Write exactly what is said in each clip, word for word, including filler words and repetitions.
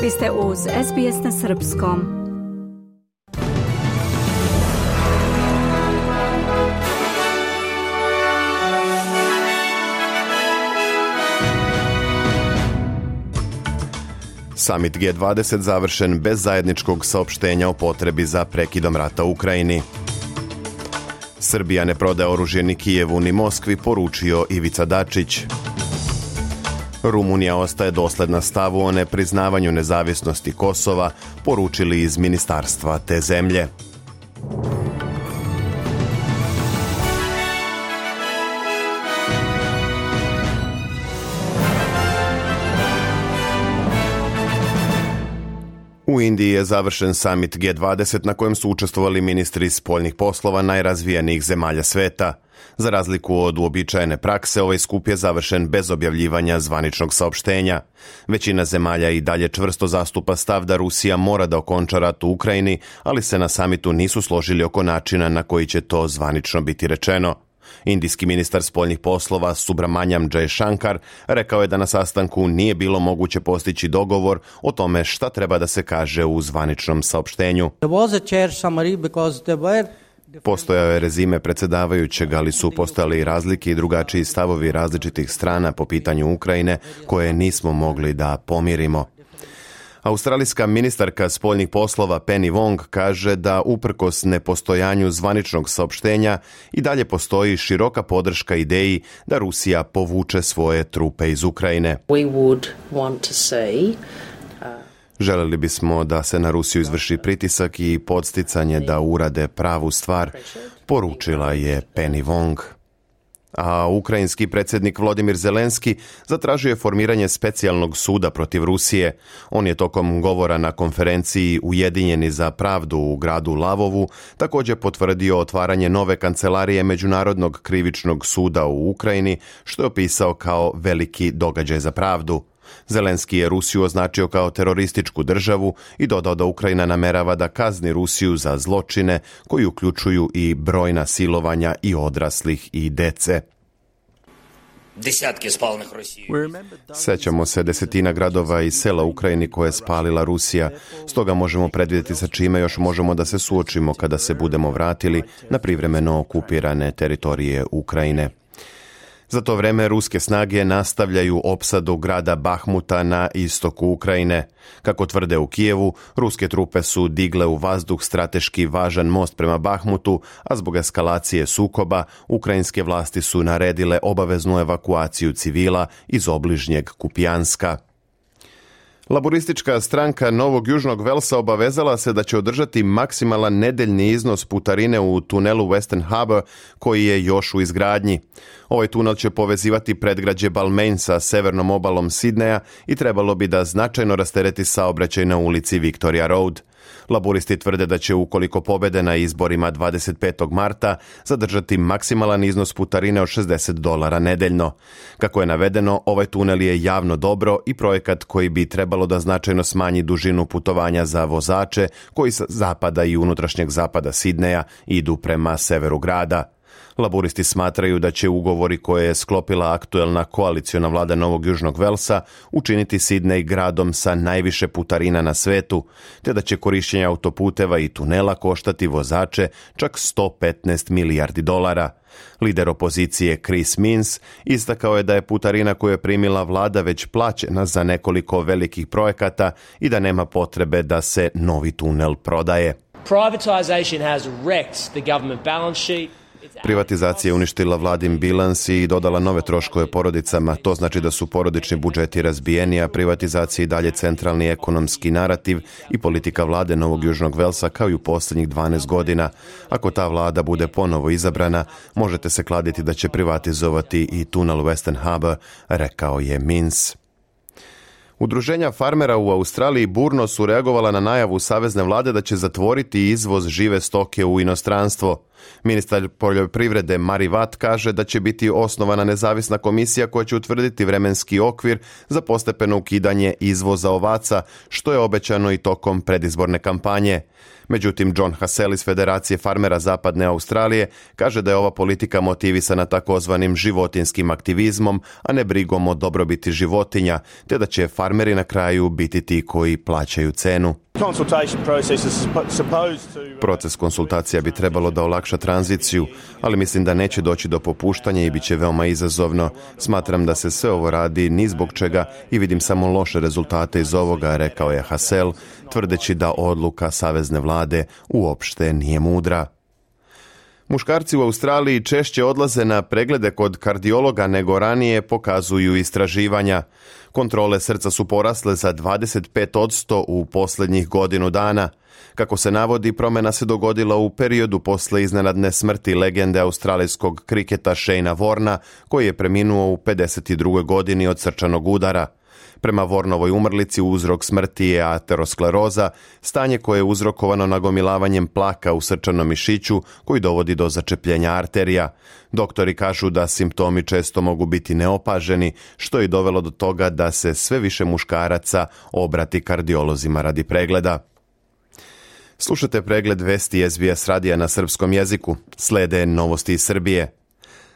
Vi ste uz S B S na srpskom. Samit G dvadeset završen bez zajedničkog saopštenja o potrebi za prekidom rata u Ukrajini. Srbija ne prodaje oružje ni Kijevu ni Moskvi, poručio Ivica Dačić. Rumunija ostaje dosledna stavu o nepriznavanju nezavisnosti Kosova, poručili iz ministarstva te zemlje. U Indiji je završen samit G dvadeset na kojem su učestvovali ministri spoljnih poslova najrazvijenijih zemalja sveta. Za razliku od uobičajene prakse, ovaj skup je završen bez objavljivanja zvaničnog saopštenja. Većina zemalja i dalje čvrsto zastupa stav da Rusija mora da okonča rat u Ukrajini, ali se na samitu nisu složili oko načina na koji će to zvanično biti rečeno. Indijski ministar spoljnih poslova Subramanyam Jaishankar rekao je da na sastanku nije bilo moguće postići dogovor o tome šta treba da se kaže u zvaničnom saopštenju. Postojao je rezime predsjedavajućeg, ali su postojali i razlike i drugačiji stavovi različitih strana po pitanju Ukrajine koje nismo mogli da pomirimo. Australijska ministarka spoljnih poslova Penny Wong kaže da uprkos nepostojanju zvaničnog saopštenja i dalje postoji široka podrška ideji da Rusija povuče svoje trupe iz Ukrajine. We would want to see, uh... Želeli bismo da se na Rusiju izvrši pritisak i podsticanje da urade pravu stvar, poručila je Penny Wong. A ukrajinski predsjednik Volodymyr Zelenski zatražio je formiranje specijalnog suda protiv Rusije. On je tokom govora na konferenciji Ujedinjeni za pravdu u gradu Lavovu također potvrdio otvaranje nove kancelarije Međunarodnog krivičnog suda u Ukrajini, što je opisao kao veliki događaj za pravdu. Zelenski je Rusiju označio kao terorističku državu i dodao da Ukrajina namerava da kazni Rusiju za zločine koji uključuju i brojna silovanja i odraslih i dece. Sećamo se desetina gradova i sela u Ukrajini koje je spalila Rusija, stoga možemo predvidjeti sa čime još možemo da se suočimo kada se budemo vratili na privremeno okupirane teritorije Ukrajine. Za to vreme ruske snage nastavljaju opsadu grada Bahmuta na istoku Ukrajine. Kako tvrde u Kijevu, ruske trupe su digle u vazduh strateški važan most prema Bahmutu, a zbog eskalacije sukoba ukrajinske vlasti su naredile obaveznu evakuaciju civila iz obližnjeg Kupjanska. Laboristička stranka Novog Južnog Velsa obavezala se da će održati maksimalan nedeljni iznos putarine u tunelu Western Harbour koji je još u izgradnji. Ovaj tunel će povezivati predgrađe Balmain sa severnom obalom Sidneja i trebalo bi da značajno rastereti saobraćaj na ulici Victoria Road. Laboristi tvrde da će, ukoliko pobede na izborima dvadeset petog marta, zadržati maksimalan iznos putarine od šezdeset dolara nedeljno. Kako je navedeno, ovaj tunel je javno dobro i projekat koji bi trebalo da značajno smanji dužinu putovanja za vozače koji sa zapada i unutrašnjeg zapada Sidneja idu prema severu grada. Laburisti smatraju da će ugovori koje je sklopila aktuelna koaliciona vlada Novog Južnog Velsa učiniti Sidnej gradom sa najviše putarina na svetu, te da će korišćenje autoputeva i tunela koštati vozače čak sto petnaest milijardi dolara. Lider opozicije Chris Minns istakao je da je putarina koju je primila vlada već plaćena za nekoliko velikih projekata i da nema potrebe da se novi tunel prodaje. Privatization has wrecked the government balance sheet. Privatizacija je uništila vladin bilans i dodala nove troškove porodicama. To znači da su porodični budžeti razbijeni, a privatizacija i dalje centralni ekonomski narativ i politika vlade Novog Južnog Velsa kao i u posljednjih dvanaest godina. Ako ta vlada bude ponovo izabrana, možete se kladiti da će privatizovati i tunel Western Harbour, rekao je Minns. Udruženja farmera u Australiji burno su reagovala na najavu savezne vlade da će zatvoriti izvoz žive stoke u inostranstvo. Ministar poljoprivrede Mari Watt kaže da će biti osnovana nezavisna komisija koja će utvrditi vremenski okvir za postepeno ukidanje izvoza ovaca, što je obećano i tokom predizborne kampanje. Međutim, John Hassell iz Federacije farmera Zapadne Australije kaže da je ova politika motivisana takozvanim životinjskim aktivizmom, a ne brigom o dobrobiti životinja, te da će farmeri na kraju biti ti koji plaćaju cenu. Proces konsultacija bi trebalo da olakša tranziciju, ali mislim da neće doći do popuštanja i bit će veoma izazovno. Smatram da se sve ovo radi ni zbog čega i vidim samo loše rezultate iz ovoga, rekao je Hassel, tvrdeći da odluka savezne vlade uopšte nije mudra. Muškarci u Australiji češće odlaze na preglede kod kardiologa nego ranije, pokazuju istraživanja. Kontrole srca su porasle za dvadeset pet posto u posljednjih godinu dana. Kako se navodi, promjena se dogodila u periodu posle iznenadne smrti legende australijskog kriketa Shayna Warna, koji je preminuo u pedeset drugoj godini od srčanog udara. Prema Warnovoj umrlici uzrok smrti je ateroskleroza, stanje koje je uzrokovano nagomilavanjem plaka u srčanom mišiću koji dovodi do začepljenja arterija. Doktori kažu da simptomi često mogu biti neopaženi, što je dovelo do toga da se sve više muškaraca obrati kardiolozima radi pregleda. Slušate pregled vesti S B S radija na srpskom jeziku. Slede novosti iz Srbije.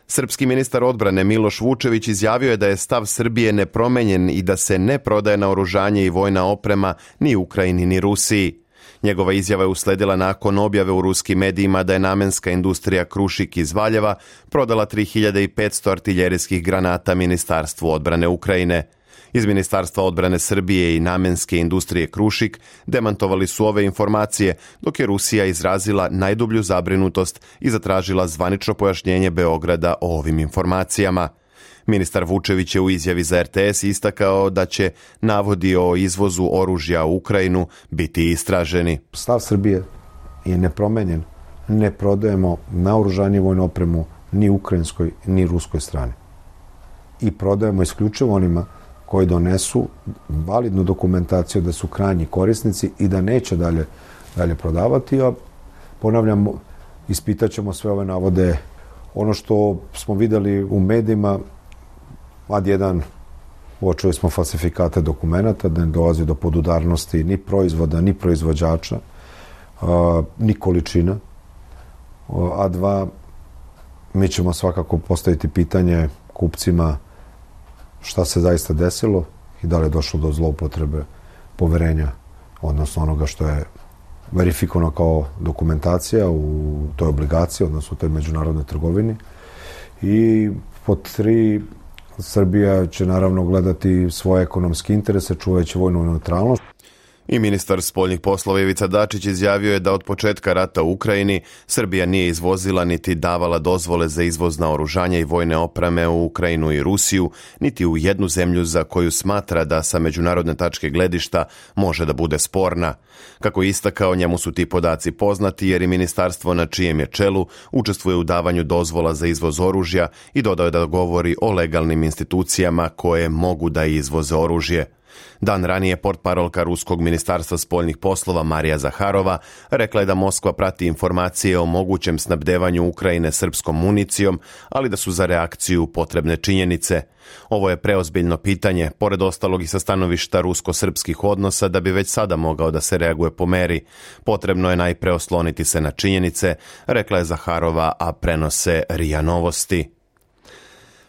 Srpski ministar odbrane Miloš Vučević izjavio je da je stav Srbije nepromenjen i da se ne prodaje naoružanje i vojna oprema ni Ukrajini ni Rusiji. Njegova izjava je usledila nakon objave u ruskim medijima da je namenska industrija Krušik iz Valjeva prodala tri hiljade petsto artiljerijskih granata Ministarstvu odbrane Ukrajine. Iz Ministarstva odbrane Srbije i namenske industrije Krušik demantovali su ove informacije, dok je Rusija izrazila najdublju zabrinutost i zatražila zvanično pojašnjenje Beograda o ovim informacijama. Ministar Vučević je u izjavi za R T S istakao da će navodi o izvozu oružja u Ukrajinu biti istraženi. Stav Srbije je nepromenjen. Ne prodajemo naoružanje i vojnu opremu ni ukrajinskoj ni ruskoj strani. I prodajemo isključivo onima koji donesu validnu dokumentaciju da su krajnji korisnici i da neće dalje, dalje prodavati. A ponavljam, ispitaćemo sve ove navode. Ono što smo videli u medijima, ad jedan, uočili smo falsifikate dokumenata, da ne dolazi do podudarnosti ni proizvoda, ni proizvođača, ni količina. A dva, mi ćemo svakako postaviti pitanje kupcima šta se zaista desilo i da li je došlo do zloupotrebe poverenja, odnosno onoga što je verifikovano kao dokumentacija u toj obligaciji, odnosno u toj međunarodnoj trgovini. I pod tri, Srbija će naravno gledati svoje ekonomske interese, čuvajući vojnu neutralnost. I ministar spoljnih poslova Ivica Dačić izjavio je da od početka rata u Ukrajini Srbija nije izvozila niti davala dozvole za izvoz naoružanja i vojne opreme u Ukrajinu i Rusiju, niti u jednu zemlju za koju smatra da sa međunarodne tačke gledišta može da bude sporna. Kako je istakao, njemu su ti podaci poznati jer i ministarstvo na čijem je čelu učestvuje u davanju dozvola za izvoz oružja i dodao je da govori o legalnim institucijama koje mogu da izvoze oružje. Dan ranije portparolka Ruskog ministarstva spoljnih poslova Marija Zaharova rekla je da Moskva prati informacije o mogućem snabdevanju Ukrajine srpskom municijom, ali da su za reakciju potrebne činjenice. Ovo je preozbiljno pitanje, pored ostalog i sa stanovišta rusko-srpskih odnosa, da bi već sada mogao da se reaguje po meri. Potrebno je najpre osloniti se na činjenice, rekla je Zaharova, a prenose R I A Novosti.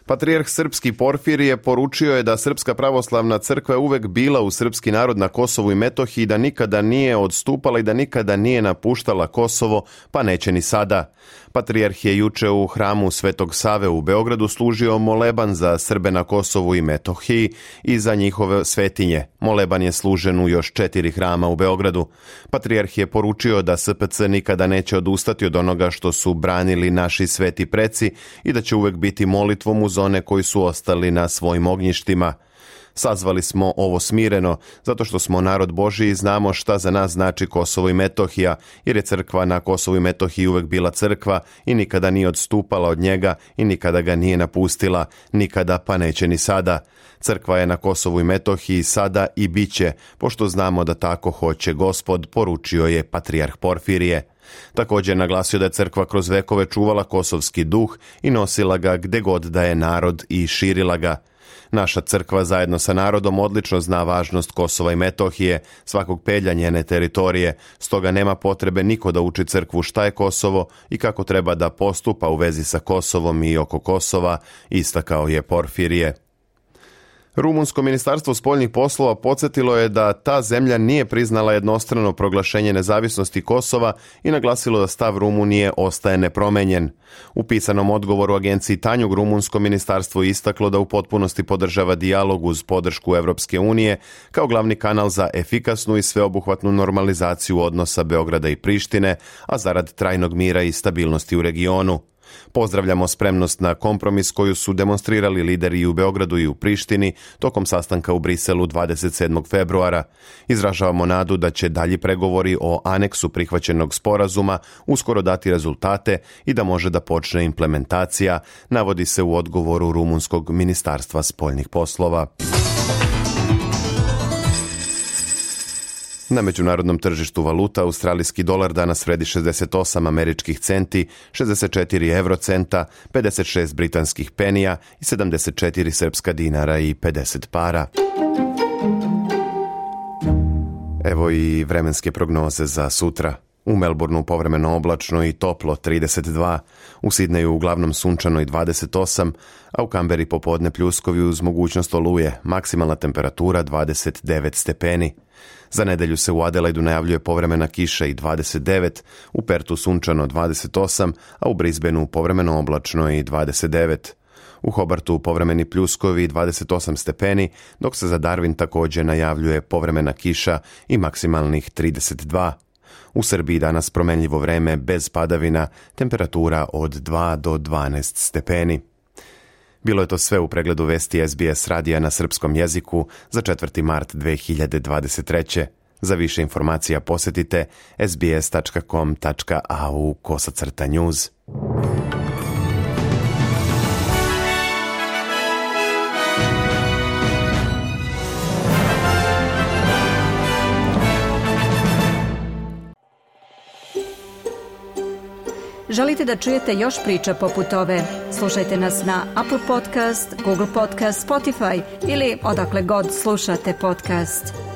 Patrijarh srpski Porfirije poručio je da Srpska pravoslavna crkva je uvek bila u srpski narod na Kosovu i Metohiji, da nikada nije odstupala i da nikada nije napuštala Kosovo, pa neće ni sada. Patrijarh je juče u hramu Svetog Save u Beogradu služio moleban za Srbe na Kosovu i Metohiji i za njihove svetinje. Moleban je služen u još četiri hrama u Beogradu. Patrijarh je poručio da S P C nikada neće odustati od onoga što su branili naši sveti preci i da će uvek biti molitvom uz one koji su ostali na svojim ognjištima. Sazvali smo ovo smireno, zato što smo narod Božiji i znamo šta za nas znači Kosovo i Metohija, jer je crkva na Kosovu i Metohiji uvek bila crkva i nikada nije odstupala od njega i nikada ga nije napustila, nikada pa neće ni sada. Crkva je na Kosovu i Metohiji sada i bit će, pošto znamo da tako hoće Gospod, poručio je patrijarh Porfirije. Također naglasio da je crkva kroz vekove čuvala kosovski duh i nosila ga gde god da je narod i širila ga. Naša crkva zajedno sa narodom odlično zna važnost Kosova i Metohije, svakog pelja njene teritorije, stoga nema potrebe niko da uči crkvu šta je Kosovo i kako treba da postupa u vezi sa Kosovom i oko Kosova, istakao je Porfirije. Rumunsko ministarstvo spoljnih poslova podsjetilo je da ta zemlja nije priznala jednostrano proglašenje nezavisnosti Kosova i naglasilo da stav Rumunije ostaje nepromenjen. U pisanom odgovoru agenciji Tanjug rumunsko ministarstvo istaklo da u potpunosti podržava dijalog uz podršku Evropske unije kao glavni kanal za efikasnu i sveobuhvatnu normalizaciju odnosa Beograda i Prištine, a zarad trajnog mira i stabilnosti u regionu. Pozdravljamo spremnost na kompromis koju su demonstrirali lideri i u Beogradu i u Prištini tokom sastanka u Briselu dvadeset sedmog februara. Izražavamo nadu da će dalji pregovori o aneksu prihvaćenog sporazuma uskoro dati rezultate i da može da počne implementacija, navodi se u odgovoru Rumunskog ministarstva spoljnih poslova. Na međunarodnom tržištu valuta australijski dolar danas vredi šezdeset osam američkih centi, šezdeset četiri eurocenta, pedeset šest britanskih penija i sedamdeset četiri srpska dinara i pedeset para. Evo i vremenske prognoze za sutra. U Melbourneu povremeno oblačno i toplo trideset dva, u Sidneju uglavnom sunčano i dvadeset osam, a u Kamberi popodne pljuskovi uz mogućnost oluje, maksimalna temperatura dvadeset devet stepeni. Za nedelju se u Adelaidu najavljuje povremena kiša i dvadeset devet, u Pertu sunčano dvadeset osam, a u Brisbaneu povremeno oblačno i dvadeset devet. U Hobartu povremeni pljuskovi i dvadeset osam stepeni, dok se za Darwin također najavljuje povremena kiša i maksimalnih trideset dva. U Srbiji danas promenljivo vreme bez padavina, temperatura od dva do dvanaest stepeni. Bilo je to sve u pregledu vesti S B S radija na srpskom jeziku za četvrti mart dve hiljade dvadeset treće. Za više informacija posjetite sbs tačka com tačka a u kosacrta news. Želite da čujete još priča poput ove? Slušajte nas na Apple Podcast, Google Podcast, Spotify ili odakle god slušate podcast.